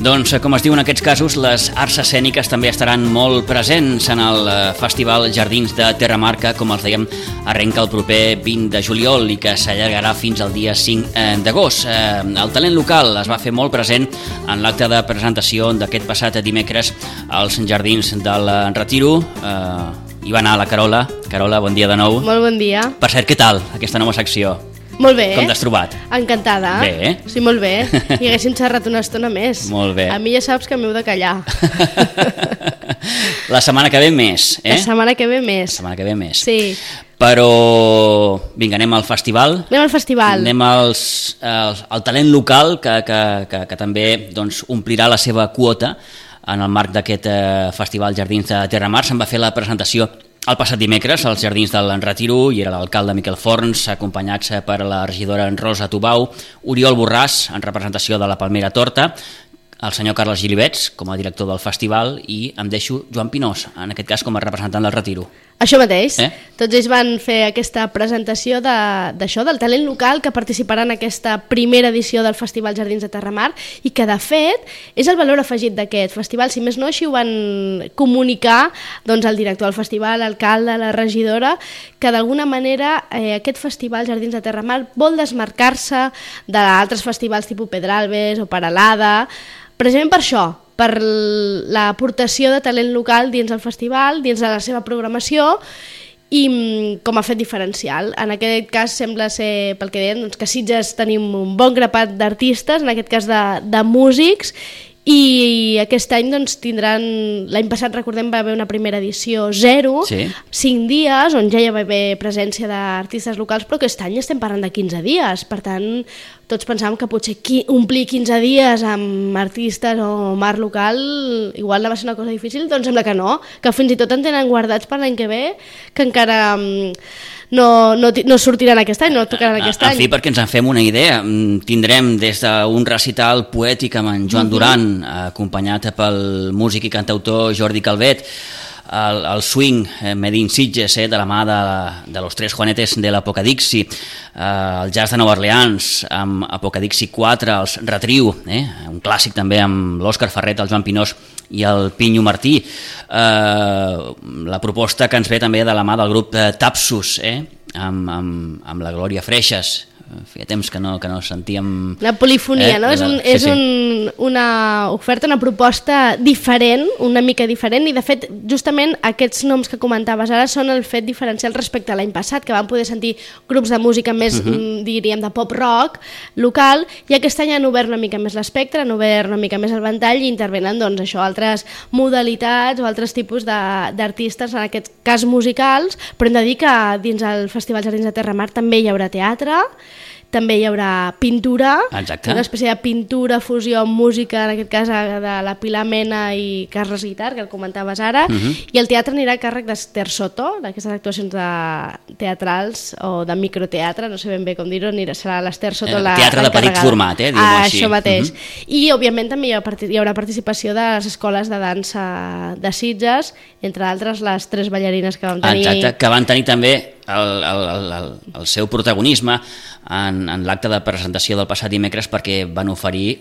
Doncs, com es diu en aquests casos, les arts escèniques també estaran molt presents en el Festival Jardins de Terramarca, com els dèiem, arrenca el proper 20 de juliol i que s'allargarà fins al dia 5 d'agost. El talent local es va fer molt present en l'acte de presentació d'aquest passat dimecres als Jardins del Retiro. Hi va anar la Carola. Carola, bon dia de nou. Molt bon dia. Per cert, què tal aquesta nova secció? Molt bé. Com t'has trobat? Encantada. Bé. Sí, molt bé. I haguéssim xerrat una estona més. Molt bé. A mi ja saps que m'heu de callar. La setmana que ve més, eh? La setmana que ve més. La setmana que ve més. Sí. Però, vinga, anem al festival. Anem al festival. Anem al talent local que també doncs, omplirà la seva quota en el marc d'aquest festival Jardins de Terramar. Se'n va fer la presentació el passat dimecres als Jardins del Retiro i era l'alcalde Miquel Forns, acompanyats per la regidora Rosa Tubau, Oriol Borràs, en representació de la Palmera Torta, el senyor Carles Gilibets, com a director del festival, i em deixo Joan Pinós, en aquest cas com a representant del Retiro. Això mateix. Tots ells van fer aquesta presentació d'això, del talent local que participarà en aquesta primera edició del Festival Jardins de Terramar i que, de fet, és el valor afegit d'aquest festival. Si més no, així ho van comunicar doncs, el director del festival, l'alcalde, la regidora, que d'alguna manera aquest Festival Jardins de Terramar vol desmarcar-se d'altres festivals tipus Pedralbes o Peralada, precisament per això, per l'aportació de talent local dins el festival, dins de la seva programació i com a fet diferencial. En aquest cas sembla ser, pel que deien, doncs, que a Sitges tenim un bon grapat d'artistes, en aquest cas de músics, i aquest any doncs, tindran, l'any passat recordem va haver una primera edició 0, sí. 5 dies, on ja hi va haver presència d'artistes locals, però aquest any estem parlant de 15 dies, per tant tots pensàvem que potser omplir 15 dies amb artistes o mar local igual va ser una cosa difícil, doncs sembla que no, que fins i tot en tenen guardats per l'any que ve, que encara no sortiran aquest any, no tocaran aquest any. En fi, perquè ens en fem una idea, tindrem des d'un recital poètic amb en Joan Duran, acompanyat pel músic i cantautor Jordi Calvet, el swing Made in Sitges, de la mà de los tres Juanetes de l'Apocadixi, el jazz de Nova Orleans amb Apocadixi 4, els Retriu, un clàssic també amb l'Òscar Ferret, el Joan Pinós i el Pinyo Martí, la proposta que ens ve també de la mà del grup Tapsus, amb la Glòria Freixas. Feia temps que no sentíem... La polifonia, no? És una oferta, una proposta diferent, una mica diferent, i de fet justament aquests noms que comentaves ara són el fet diferencial respecte a l'any passat, que vam poder sentir grups de música més, diríem, de pop-rock local, i aquest any han obert una mica més l'espectre, han obert una mica més el ventall i intervenen doncs, això, altres modalitats o altres tipus d'artistes, en aquest cas musicals, però hem de dir que dins el Festival Jardins de Terramar també hi haurà teatre, també hi haurà pintura, exacte. Una espècie de pintura, fusió amb música, en aquest cas de la Pilar Mena i Carles Guitar, que el comentaves ara, i el teatre anirà a càrrec d'Ester Soto, d'aquestes actuacions teatrals o de microteatre, no sé ben bé com dir-ho, serà l'Ester Soto teatre de petit format, diguem-ho així. Això mateix. I, òbviament, també hi haurà participació de les escoles de dansa de Sitges, entre d'altres les 3 ballarines que vam tenir. Exacte, que van tenir també el seu protagonisme en l'acte de presentació del passat dimecres perquè van oferir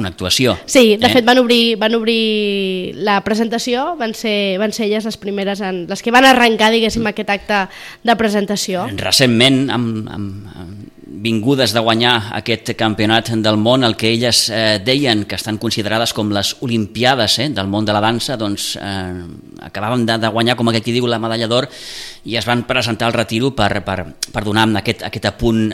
una actuació. Sí, de fet van obrir la presentació, van ser elles les primeres, les que van arrencar, diguéssim, aquest acte de presentació. Recentment, amb vingudes de guanyar aquest campionat del món, el que elles deien que estan considerades com les Olimpiades del món de la dansa, doncs acabaven de guanyar, com aquell qui diu, la medalla d'or, i es van presentar al Retiro per donar aquest apunt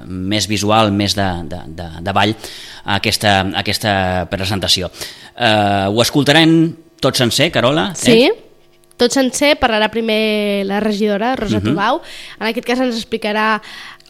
més visual, més de ball a aquesta presentació. Ho escoltarem tot sencer, Carola? Sí. Tot sencer, parlarà primer la regidora, Rosa Tubau. En aquest cas ens explicarà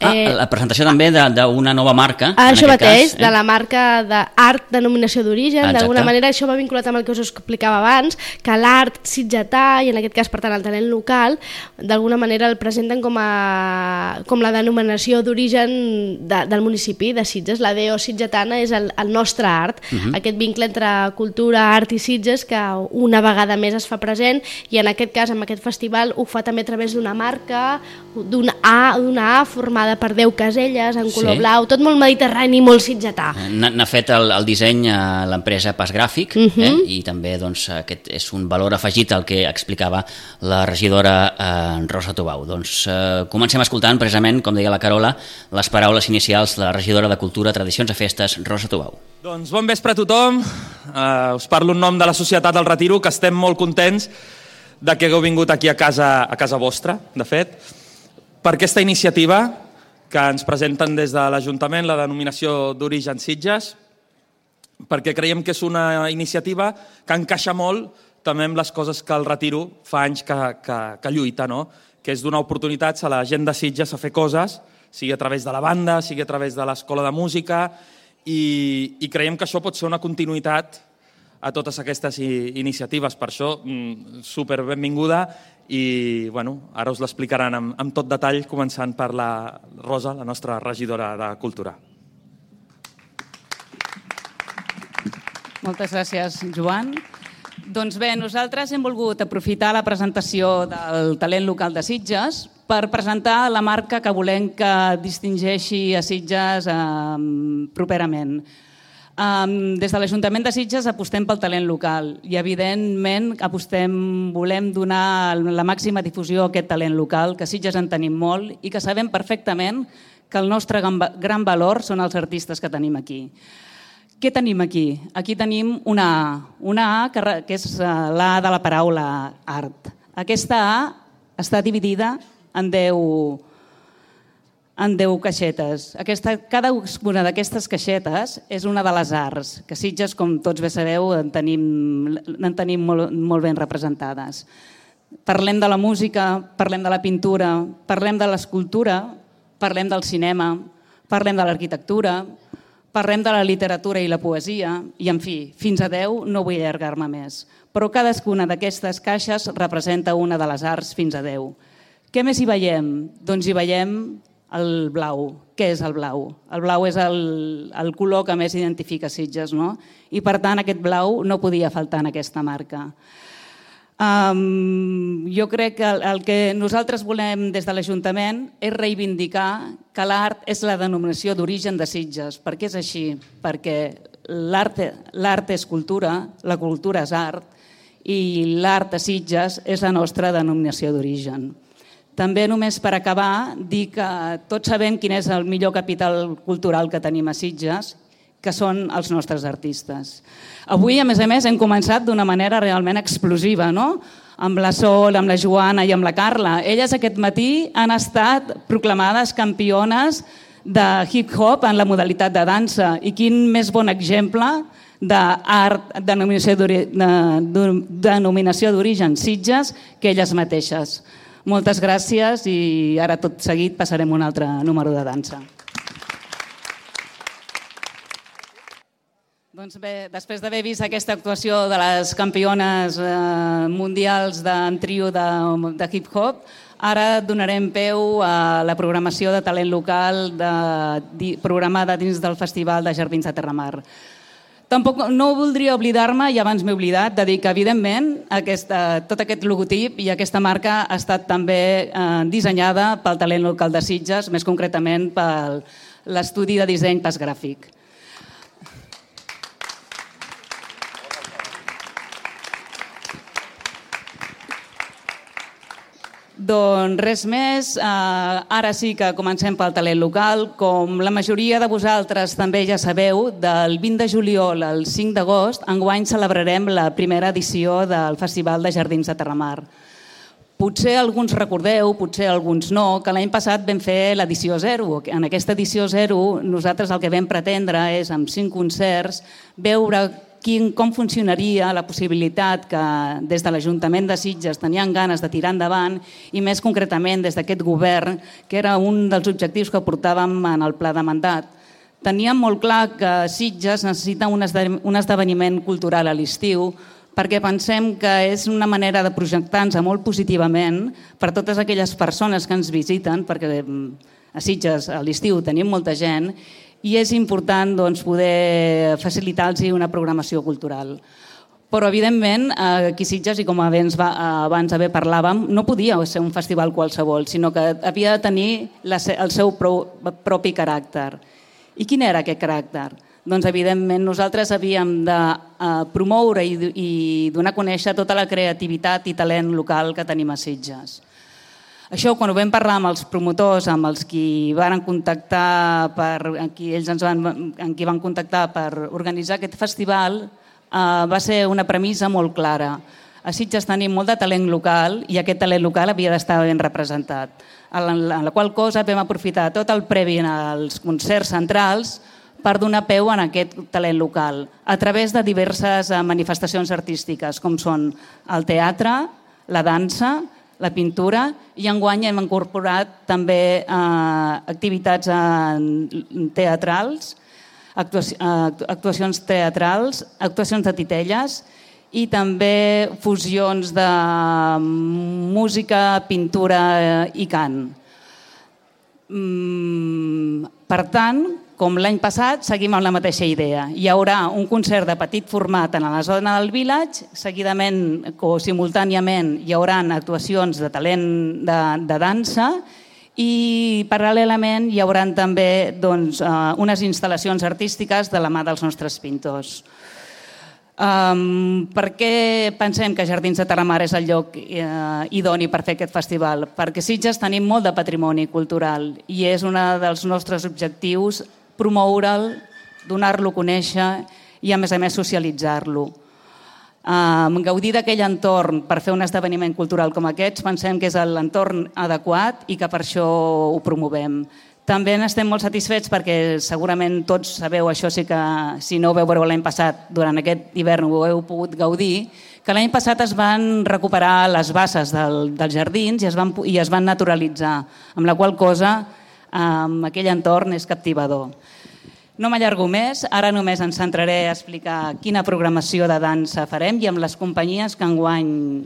la presentació també d'una nova marca. Això mateix, de la marca d'art denominació d'origen. D'alguna manera això va vinculat amb el que us explicava abans, que l'art sitgetà, i en aquest cas per tant el talent local, d'alguna manera el presenten com la denominació d'origen del municipi de Sitges. La DO sitgetana és el nostre art, aquest vincle entre cultura, art i Sitges que una vegada més es fa present, i en aquest cas, amb aquest festival, ho fa també a través d'una marca, d'una A formada per 10 caselles en color blau, tot molt mediterrani, molt sitgetà. N'ha fet el disseny a l'empresa Pas Gràfic, i també doncs, aquest és un valor afegit al que explicava la regidora Rosa Tubau. Doncs comencem escoltant precisament, com deia la Carola, les paraules inicials de la regidora de Cultura, Tradicions i Festes, Rosa Tubau. Doncs bon vespre a tothom. Us parlo en nom de la Societat del Retiro, que estem molt contents de que hagueu vingut aquí a casa vostra, de fet, per aquesta iniciativa que ens presenten des de l'Ajuntament, la denominació d'origen Sitges, perquè creiem que és una iniciativa que encaixa molt també amb les coses que el Retiro fa anys que lluita, no? Que és donar oportunitats a la gent de Sitges a fer coses, sigui a través de la banda, sigui a través de l'escola de música, i creiem que això pot ser una continuïtat a totes aquestes iniciatives. Per això, super benvinguda, i ara us l'explicaran amb tot detall, començant per la Rosa, la nostra regidora de Cultura. Moltes gràcies, Joan. Doncs bé, nosaltres hem volgut aprofitar la presentació del talent local de Sitges per presentar la marca que volem que distingeixi a Sitges properament. Des de l'Ajuntament de Sitges apostem pel talent local i, evidentment, volem donar la màxima difusió a aquest talent local, que a Sitges en tenim molt i que sabem perfectament que el nostre gran valor són els artistes que tenim aquí. Què tenim aquí? Aquí tenim una A, que és l'A de la paraula art. Aquesta A està dividida en 10 caixetes. Cada una d'aquestes caixetes és una de les arts, que Sitges, com tots bé sabeu, en tenim molt ben representades. Parlem de la música, parlem de la pintura, parlem de l'escultura, parlem del cinema, parlem de l'arquitectura, parlem de la literatura i la poesia, i, en fi, fins a 10 no vull allargar-me més. Però cadascuna d'aquestes caixes representa una de les arts fins a 10. Què més hi veiem? Doncs hi veiem el blau. Què és el blau? El blau és el color que més identifica Sitges, no? I, per tant, aquest blau no podia faltar en aquesta marca. Jo crec que el que nosaltres volem des de l'Ajuntament és reivindicar que l'art és la denominació d'origen de Sitges. Per què és així? Perquè l'art és cultura, la cultura és art, i l'art a Sitges és la nostra denominació d'origen. També, només per acabar, dir que tots sabem quin és el millor capital cultural que tenim a Sitges, que són els nostres artistes. Avui, a més, hem començat d'una manera realment explosiva, no? Amb la Sol, amb la Joana i amb la Carla. Elles aquest matí han estat proclamades campiones de hip-hop en la modalitat de dansa. I quin més bon exemple d'art, denominació d'origen Sitges, que elles mateixes. Moltes gràcies, i ara tot seguit passarem un altre número de dansa. Doncs bé, després d'haver vist aquesta actuació de les campiones mundials en trio de hip-hop, ara donarem peu a la programació de talent local programada dins del Festival de Jardins de Terramar. Tampoc no voldria oblidar-me, i abans m'he oblidat, de dir que, evidentment, tot aquest logotip i aquesta marca ha estat també dissenyada pel talent local de Sitges, més concretament per l'estudi de disseny Pas Gràfic. Doncs res més, ara sí que comencem pel talent local. Com la majoria de vosaltres també ja sabeu, del 20 de juliol al 5 d'agost, enguany celebrarem la primera edició del Festival de Jardins de Terramar. Potser alguns recordeu, potser alguns no, que l'any passat vam fer l'edició 0. En aquesta edició 0 nosaltres el que vam pretendre és, amb 5 concerts, veure com funcionaria la possibilitat que des de l'Ajuntament de Sitges tenien ganes de tirar endavant, i més concretament des d'aquest govern, que era un dels objectius que portàvem en el pla de mandat. Teníem molt clar que Sitges necessita un esdeveniment cultural a l'estiu, perquè pensem que és una manera de projectar-nos molt positivament per totes aquelles persones que ens visiten, perquè a Sitges a l'estiu tenim molta gent, i és important poder facilitar-los una programació cultural. Però, evidentment, aquí a Sitges, i com abans parlàvem, no podia ser un festival qualsevol, sinó que havia de tenir el seu propi caràcter. I quin era aquest caràcter? Doncs, evidentment, nosaltres havíem de promoure i donar a conèixer tota la creativitat i talent local que tenim a Sitges. Això, quan ho vam parlar amb els promotors, amb els qui van contactar amb qui van contactar per organitzar aquest festival, va ser una premissa molt clara. A Sitges tenim molt de talent local i aquest talent local havia d'estar ben representat. En la qual cosa vam aprofitar tot el previ als concerts centrals per donar peu a aquest talent local a través de diverses manifestacions artístiques, com són el teatre, la dansa, la pintura, i enguany hem incorporat també activitats teatrals, actuacions teatrals, actuacions de titelles i també fusions de música, pintura i cant. Per tant, com l'any passat, seguim amb la mateixa idea. Hi haurà un concert de petit format en la zona del Village, seguidament o simultàniament hi haurà actuacions de talent de dansa i paral·lelament hi haurà també unes instal·lacions artístiques de la mà dels nostres pintors. Per què pensem que Jardins de Terramar és el lloc idoni per fer aquest festival? Perquè a Sitges tenim molt de patrimoni cultural i és un dels nostres objectius promoure'l, donar-lo a conèixer i, a més socialitzar-lo. Gaudir d'aquell entorn per fer un esdeveniment cultural com aquests pensem que és l'entorn adequat i que per això ho promovem. També n'estem molt satisfets perquè segurament tots sabeu, això sí que si no ho veu veure l'any passat, durant aquest hivern ho heu pogut gaudir, que l'any passat es van recuperar les basses dels jardins i es van naturalitzar, amb la qual cosa aquell entorn és captivador. No m'allargo més, ara només ens centraré a explicar quina programació de dansa farem i amb les companyies que enguany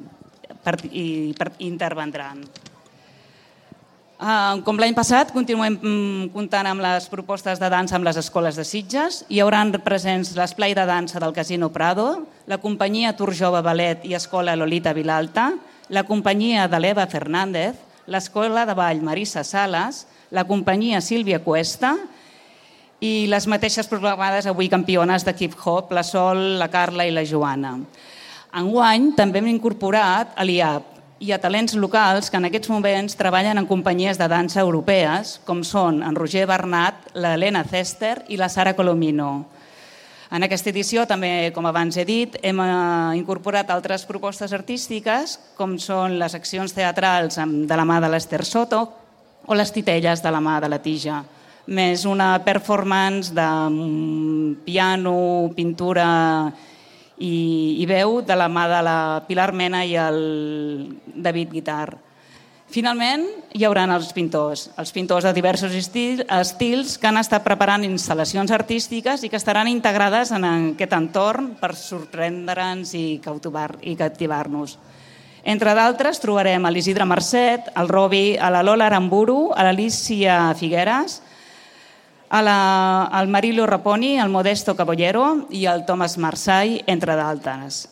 intervendran. Com l'any passat, continuem comptant amb les propostes de dansa amb les escoles de Sitges. Hi haurà presents l'esplai de dansa del Casino Prado, la companyia Tour Jove Ballet i Escola Lolita Vilalta, la companyia de l'Eva Fernández, l'escola de ball Marisa Salas, la companyia Sílvia Cuesta i les mateixes programades avui campiones de hip-hop, la Sol, la Carla i la Joana. Enguany també hem incorporat a l'IAP i a talents locals que en aquests moments treballen en companyies de dansa europees, com són en Roger Bernat, l'Helena Cester i la Sara Colomino. En aquesta edició, també, com abans he dit, hem incorporat altres propostes artístiques, com són les accions teatrals de la mà de l'Ester Soto o les titelles de la mà de la Tija, més una performance de piano, pintura i veu de la mà de la Pilar Mena i el David Guitar. Finalment, hi haurà els pintors de diversos estils que han estat preparant instal·lacions artístiques i que estaran integrades en aquest entorn per sorprendre'ns i captivar-nos. Entre d'altres, trobarem a l'Isidre Marcet, al Robi, a la Lola Aramburu, a l'Alicia Figueras, al Marilo Raponi, al Modesto Caballero i al Thomas Marsai, entre d'altres.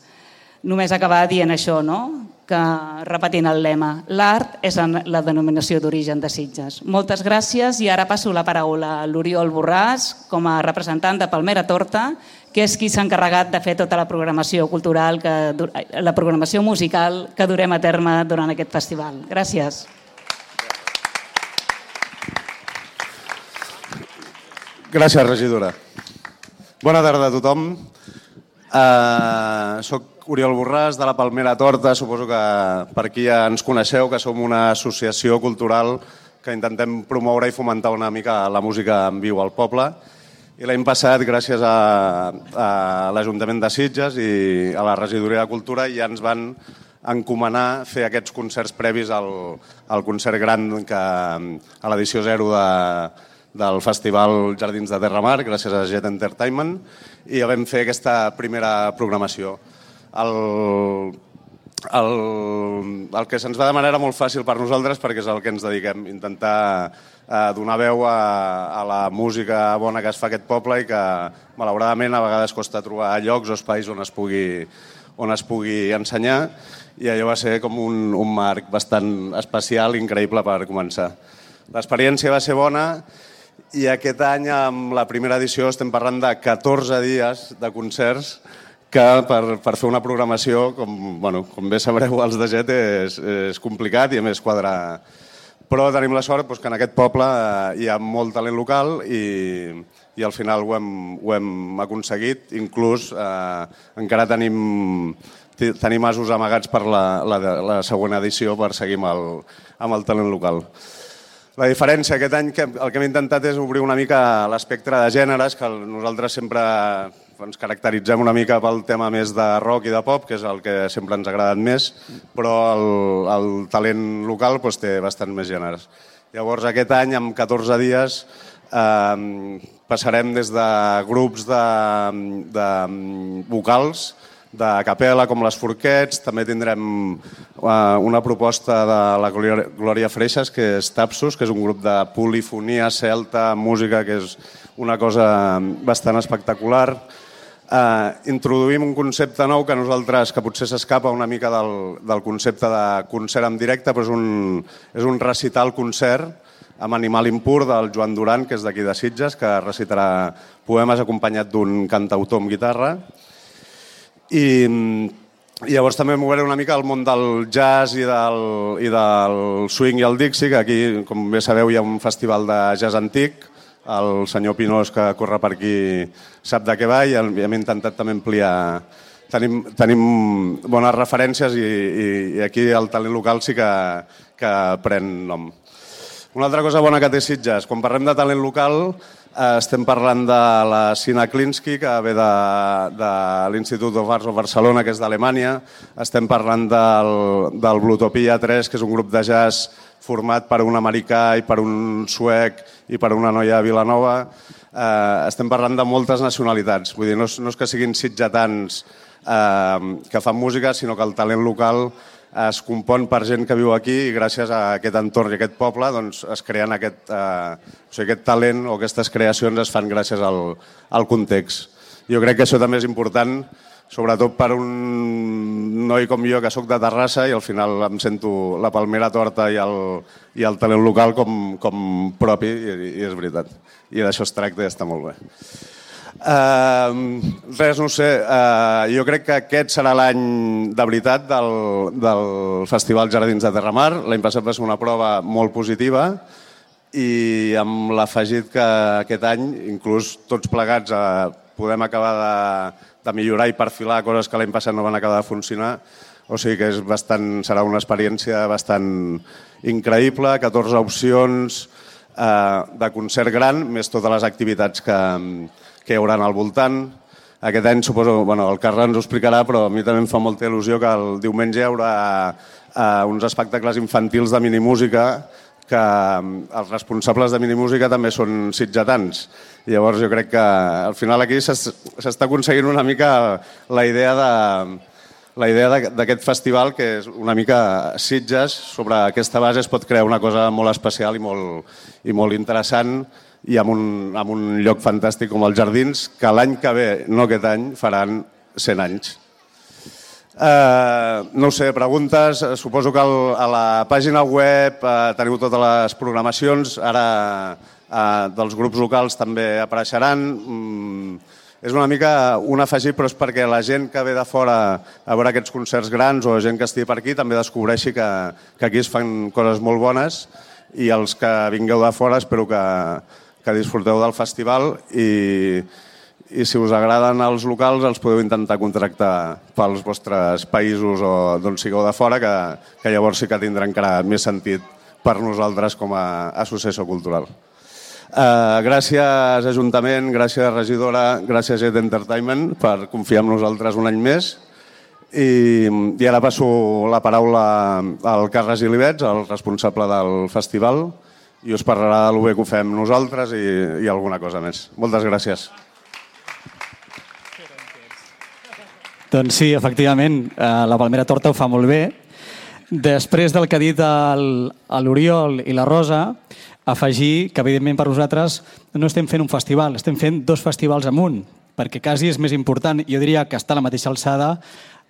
Només acabar dient això, no? Que repetint el lema, l'art és la denominació d'origen de Sitges. Moltes gràcies i ara passo la paraula a l'Oriol Borràs com a representant de Palmera Torta, que és qui s'ha encarregat de fer tota la programació cultural, la programació musical que durem a terme durant aquest festival. Gràcies. Gràcies, regidora. Bona tarda a tothom. Soc Oriol Borràs, de la Palmera Torta. Suposo que per aquí ja ens coneixeu, que som una associació cultural que intentem promoure i fomentar una mica la música en viu al poble. I l'any passat, gràcies a l'Ajuntament de Sitges i a la Regidoria de Cultura, ja ens van encomanar fer aquests concerts previs al concert gran a l'edició 0 del Festival Jardins de Terramar, gràcies a Jet Entertainment, i ja vam fer aquesta primera programació. El que se'ns va demanar era molt fàcil per nosaltres perquè és el que ens dediquem, intentar donar veu a la música bona que es fa a aquest poble i que malauradament a vegades costa trobar llocs o espais on es pugui on es pugui ensenyar, i allò va ser com un marc bastant especial, increïble per començar. L'experiència va ser bona i aquest any, amb la primera edició, estem parlant de 14 dies de concerts que per fer una programació, com bé sabreu, els de GET és complicat i a més quadrar. Però tenim la sort que en aquest poble hi ha molt talent local i al final ho hem aconseguit. Inclús encara tenim asos amagats per la següent edició per seguir amb el talent local. La diferència aquest any, el que hem intentat és obrir una mica l'espectre de gèneres, que nosaltres sempre ens caracteritzem una mica pel tema més de rock i de pop, que és el que sempre ens ha agradat més, però el talent local té bastant més gèneres. Llavors aquest any, amb 14 dies, passarem des de grups de vocals, de capella, com les Forquets. També tindrem una proposta de la Glòria Freixas, que és Tapsus, que és un grup de polifonia celta, música, que és una cosa bastant espectacular. Introduïm un concepte nou que nosaltres, que potser s'escapa una mica del concepte de concert en directe, però és un recital-concert amb Animal Impur del Joan Duran, que és d'aquí de Sitges, que recitarà poemes acompanyat d'un cantautor amb guitarra. I llavors també mouré una mica al món del jazz i del swing i el Dixie, que aquí, com bé sabeu, hi ha un festival de jazz antic. El senyor Pinós, que corre per aquí, sap de què va i hem intentat també ampliar. Tenim bones referències i aquí el talent local sí que pren nom. Una altra cosa bona que té Sitges, quan parlem de talent local, estem parlant de la Sina Klinsky, que ve de l'Institut of Arts of Barcelona, que és d'Alemanya. Estem parlant del Blutopia 3, que és un grup de jazz format per un americà i per un suec i per una noia de Vilanova. Estem parlant de moltes nacionalitats. Vull dir, no és que siguin sitgetans que fan música, sinó que el talent local es compon per gent que viu aquí i gràcies a aquest entorn i aquest poble es creen aquest talent o aquestes creacions es fan gràcies al context. Jo crec que això també és important, sobretot per un noi com jo que sóc de Terrassa i al final em sento la palmera torta i el talent local com propi i és veritat. I d'això es tracta i està molt bé. Res, no sé, jo crec que aquest serà l'any de veritat del Festival Jardins de Terramar. L'any passat va ser una prova molt positiva i amb l'afegit que aquest any, inclús tots plegats, podem acabar de millorar i perfilar coses que l'any passat no van acabar de funcionar. O sigui que serà una experiència bastant increïble, 14 opcions de concert gran, més totes les activitats que hi haurà al voltant. Aquest any suposo, el Carles ens ho explicarà, però a mi també em fa molta il·lusió que el diumenge hi haurà uns espectacles infantils de minimúsica que els responsables de minimúsica també són sitgetans. Llavors jo crec que al final aquí s'està aconseguint una mica la idea d'aquest festival, que és una mica Sitges. Sobre aquesta base es pot crear una cosa molt especial i molt interessant i amb un lloc fantàstic com els Jardins, que l'any que ve, no aquest any, faran 100 anys. No sé, preguntes. Suposo que a la pàgina web teniu totes les programacions. Ara dels grups locals també apareixeran. És una mica un afegit, però és perquè la gent que ve de fora a veure aquests concerts grans o gent que estigui per aquí també descobreixi que aquí es fan coses molt bones i els que vingueu de fora espero que disfruteu del festival i si us agraden els locals els podeu intentar contractar pels vostres països o d'on sigueu de fora, que llavors sí que tindrà encara més sentit per nosaltres com a associació cultural. Gràcies Ajuntament, gràcies regidora, gràcies Jet Entertainment per confiar en nosaltres un any més i ara passo la paraula al Carles Ilibets, el responsable del festival, i us parlarà de lo bé que ho fem nosaltres i alguna cosa més. Moltes gràcies. Doncs sí, efectivament, la Palmera Torta ho fa molt bé. Després del que ha dit l'Oriol i la Rosa, afegir que, evidentment, per nosaltres no estem fent un festival, estem fent 2 festivals en un, perquè quasi és més important, jo diria que està a la mateixa alçada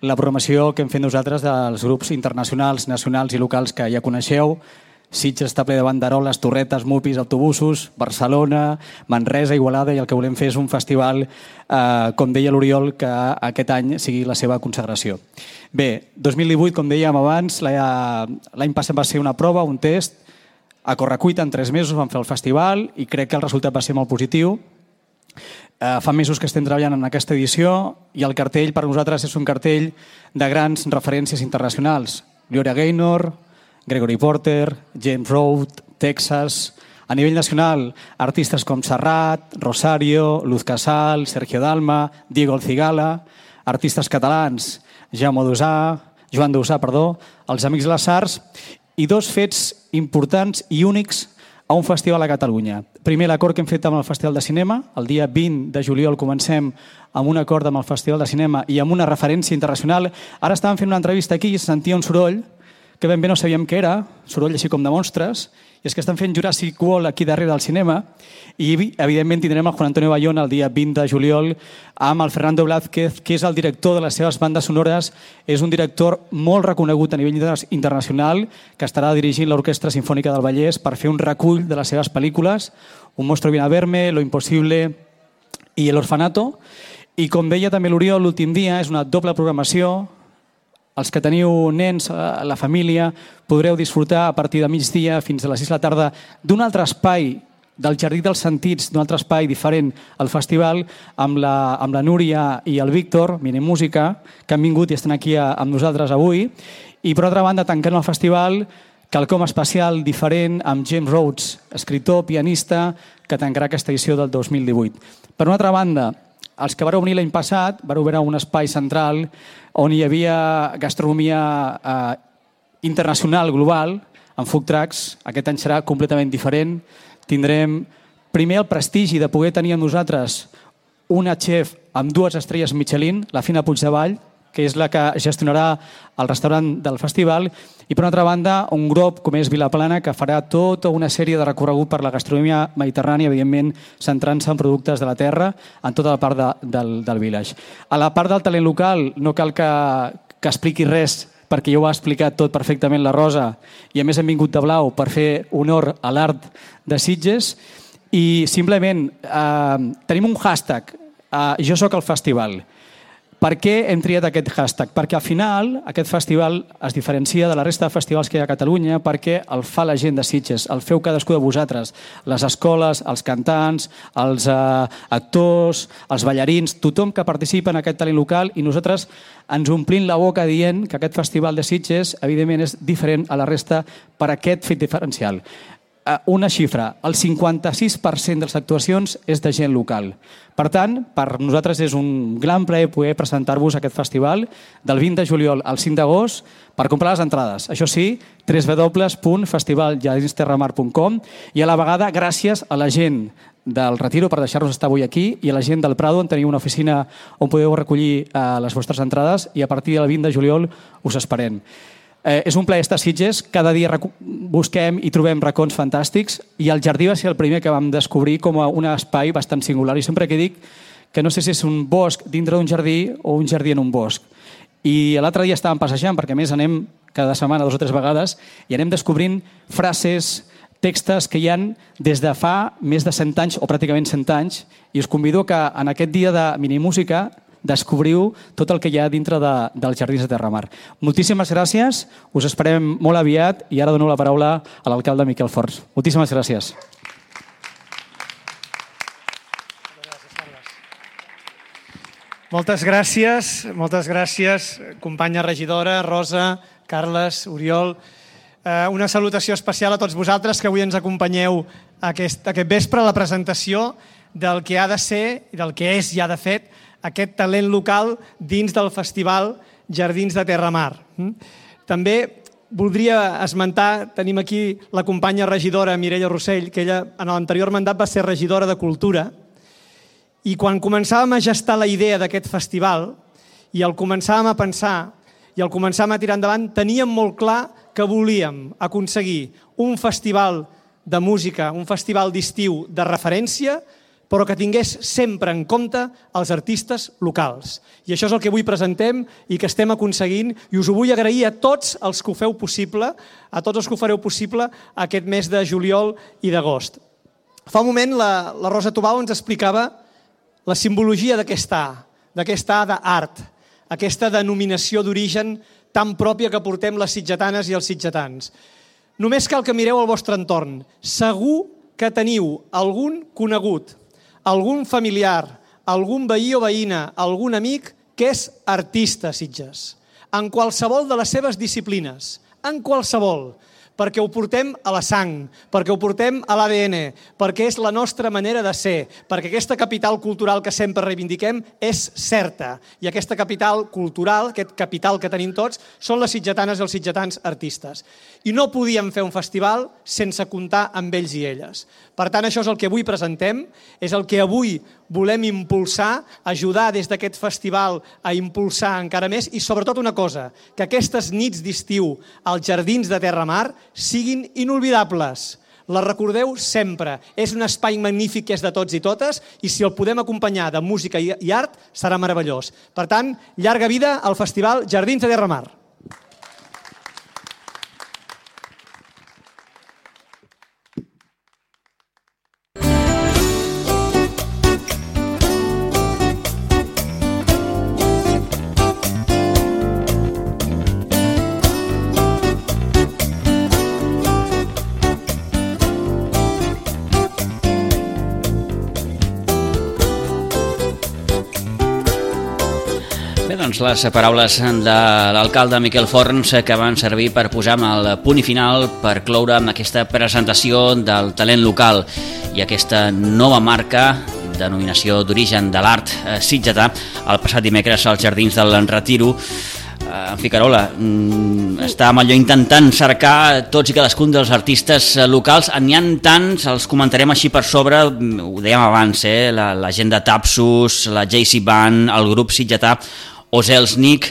la programació que hem fet nosaltres dels grups internacionals, nacionals i locals que ja coneixeu. Sitges està ple de banderoles, torretes, mupis, autobusos, Barcelona, Manresa, Igualada, i el que volem fer és un festival, com deia l'Oriol, que aquest any sigui la seva consagració. Bé, 2018, com dèiem abans, l'any passat va ser una prova, un test, a correcuita en 3 mesos vam fer el festival i crec que el resultat va ser molt positiu. Fa mesos que estem treballant en aquesta edició i el cartell per nosaltres és un cartell de grans referències internacionals. Gloria Gaynor, Gregory Porter, James Road, Texas. A nivell nacional, artistes com Serrat, Rosario, Luz Casal, Sergio Dalma, Diego El Cigala, artistes catalans, Joan Dausà, els Amics de les Arts, i 2 fets importants i únics a un festival a Catalunya. Primer, l'acord que hem fet amb el Festival de Cinema. El dia 20 de juliol comencem amb un acord amb el Festival de Cinema i amb una referència internacional. Ara estàvem fent una entrevista aquí i se sentia un soroll que ben bé no sabíem què era, soroll així com de monstres, i és que estan fent Jurassic World aquí darrere del cinema i, evidentment, tindrem el Juan Antonio Bayona el dia 20 de juliol amb el Fernando Blázquez, que és el director de les seves bandes sonores. És un director molt reconegut a nivell internacional que estarà dirigint l'Orquestra Simfònica del Vallès per fer un recull de les seves pel·lícules, Un monstruo viene a verme, Lo imposible i El orfanato. I com deia també l'Oriol, l'últim dia és una doble programació. Els que teniu nens, la família, podreu disfrutar a partir de migdia fins a les 6 de la tarda d'un altre espai, del Jardí dels Sentits, d'un altre espai diferent al festival, amb la Núria i el Víctor, Minimúsica, que han vingut i estan aquí amb nosaltres avui. I per altra banda, tancant el festival, quelcom especial, diferent, amb James Rhodes, escriptor, pianista, que tancarà aquesta edició del 2018. Per una altra banda, els que vareu venir l'any passat vareu veure un espai central on hi havia gastronomia internacional, global, amb food trucks. Aquest any serà completament diferent. Tindrem primer el prestigi de poder tenir amb nosaltres una chef amb 2 estrelles Michelin, la Fina Puigdevall, que és la que gestionarà el restaurant del festival, i per una altra banda un grup com és Vilaplana, que farà tota una sèrie de recorregut per la gastronomia mediterrània, evidentment centrant-se en productes de la terra en tota la part del village. A la part del talent local no cal que expliqui res, perquè ja ho ha explicat tot perfectament la Rosa, i a més hem vingut de blau per fer honor a l'art de Sitges. I simplement tenim un hashtag, Jo soc el festival. Per què hem triat aquest hashtag? Perquè al final aquest festival es diferencia de la resta de festivals que hi ha a Catalunya perquè el fa la gent de Sitges, el feu cadascú de vosaltres, les escoles, els cantants, els actors, els ballarins, tothom que participa en aquest talent local, i nosaltres ens omplim la boca dient que aquest festival de Sitges evidentment és diferent a la resta per aquest fet diferencial. Una xifra, el 56% de les actuacions és de gent local. Per tant, per nosaltres és un gran plaer poder presentar-vos aquest festival del 20 de juliol al 5 d'agost per comprar les entrades. Això sí, www.festivaljardinesterramar.com, i a la vegada gràcies a la gent del Retiro per deixar-nos estar avui aquí i a la gent del Prado, on teniu una oficina on podeu recollir les vostres entrades, i a partir del 20 de juliol us esperem. És un plaer estar a Sitges, cada dia busquem i trobem racons fantàstics, i el jardí va ser el primer que vam descobrir com a un espai bastant singular. I sempre que dic que no sé si és un bosc dintre d'un jardí o un jardí en un bosc. I l'altre dia estàvem passejant, perquè a més anem cada setmana 2 o 3 vegades, i anem descobrint frases, textos que hi han des de fa més de 100 anys, o pràcticament 100 anys, i us convido que en aquest dia de minimúsica descobriu tot el que hi ha dintre dels Jardins de Terramar. Moltíssimes gràcies, us esperem molt aviat, i ara dono la paraula a l'alcalde Miquel Forns. Moltíssimes gràcies. Moltes gràcies, companya regidora, Rosa, Carles, Oriol. Una salutació especial a tots vosaltres que avui ens acompanyeu aquest vespre a la presentació del que ha de ser i del que és ja de fet aquest talent local dins del Festival Jardins de Terramar. També voldria esmentar, tenim aquí la companya regidora Mireia Rossell, que ella en l'anterior mandat va ser regidora de Cultura, i quan començàvem a gestar la idea d'aquest festival i el començàvem a pensar i el començàvem a tirar endavant, teníem molt clar que volíem aconseguir un festival de música, un festival d'estiu de referència, però que tingués sempre en compte els artistes locals. I això és el que avui presentem i que estem aconseguint, i us ho vull agrair a tots els que ho feu possible, a tots els que ho fareu possible aquest mes de juliol i d'agost. Fa un moment la Rosa Tubau ens explicava la simbologia d'aquesta A d'art, aquesta denominació d'origen tan pròpia que portem les sitgetanes i els sitgetans. Només cal que mireu al vostre entorn. Segur que teniu algun conegut, algun familiar, algun veí o veïna, algun amic que és artista a Sitges, en qualsevol de les seves disciplines, en qualsevol, perquè ho portem a la sang, perquè ho portem a l'ADN, perquè és la nostra manera de ser, perquè aquesta capital cultural que sempre reivindiquem és certa. I aquesta capital cultural, aquest capital que tenim tots, són les sitgetanes i els sitgetans artistes. I no podíem fer un festival sense comptar amb ells i elles. Per tant, això és el que avui presentem, és el que avui volem impulsar, ajudar des d'aquest festival a impulsar encara més i sobretot una cosa, que aquestes nits d'estiu als Jardins de Terramar siguin inolvidables. Les recordeu sempre. És un espai magnífic que és de tots i totes i si el podem acompanyar de música i art serà meravellós. Per tant, llarga vida al Festival Jardins de Terramar. Doncs les paraules de l'alcalde Miquel Forns que van servir per posar el punt i final per cloure amb aquesta presentació del talent local i aquesta nova marca, denominació d'origen de l'art sitgetà, el passat dimecres als Jardins del Retiro. En fi, Carola, estàvem allò intentant cercar tots i cadascun dels artistes locals. N'hi ha tants, els comentarem així per sobre, ho dèiem abans, la gent de Tapsus, la JC Band, el grup sitgetà Oselnik,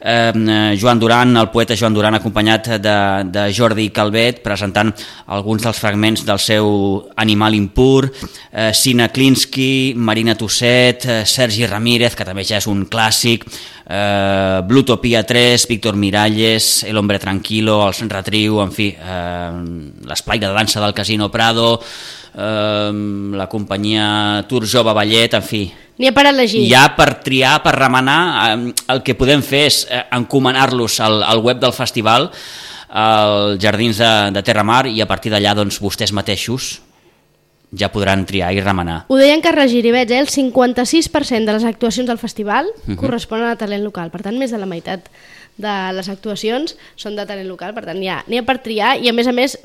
Joan Duran, el poeta Joan Duran, acompanyat de Jordi Calvet, presentant alguns dels fragments del seu Animal impur, Sina Klinsky, Marina Tusset, Sergi Ramírez, que també ja és un clàssic, Blutopia 3, Víctor Miralles, El hombre tranquilo, Els Retriu, en fi, l'Esplai de dansa del Casino Prado, la companyia Tour Jove Ballet, en fi. N'hi ha per elegir. Hi ha per triar, per remenar. El que podem fer és encomanar-los al web del festival, als Jardins de Terramar, i a partir d'allà doncs, vostès mateixos ja podran triar i remenar. Ho deia en Carles Giribets, el 56% de les actuacions del festival corresponen a talent local, per tant més de la meitat de les actuacions són de talent local, per tant n'hi ha per triar, i a més,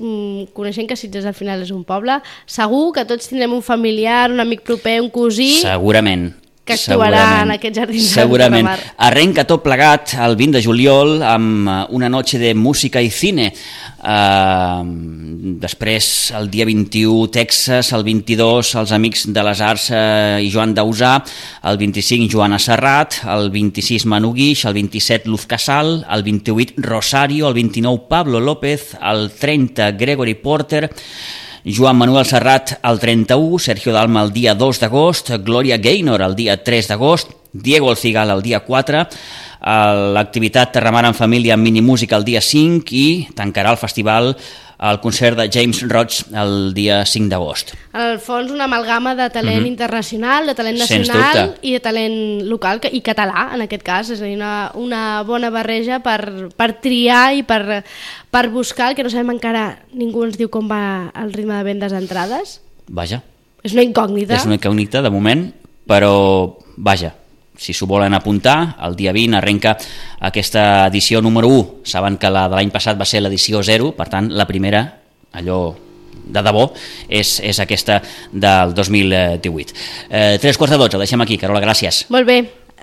coneixent que Sitges al final és un poble, segur que tots tindrem un familiar, un amic proper, un cosí... Segurament. Que actuarà en aquests Jardins de Terramar. Arrenca tot plegat el 20 de juliol amb una noche de música i cine. Després, el dia 21, Texas, el 22, els Amics de les Arts i Joan Dausà, el 25, Joana Serrat, el 26, Manu Guix, el 27, Luz Casal, el 28, Rosario, el 29, Pablo López, el 30, Gregory Porter, Joan Manuel Serrat el 31, Sergio Dalma el dia 2 d'agost, Gloria Gaynor el dia 3 d'agost, Diego El Cigal el dia 4, l'activitat Terramar en Família amb minimúsica el dia 5 i tancarà el festival el concert de James Roach el dia 5 d'agost. En el fons, una amalgama de talent internacional, de talent nacional i de talent local i català, en aquest cas. És a dir, una bona barreja per triar i per buscar, el que no sabem encara, ningú ens diu com va el ritme de vendes d'entrades. Vaja. És una incògnita. És una incògnita, de moment, però vaja, si s'ho volen apuntar, el dia 20 arrenca aquesta edició número 1. Saben que la de l'any passat va ser l'edició 0, per tant, la primera, allò de debò, és aquesta del 2018. 3:45, ho deixem aquí. Carola, gràcies. Molt bé.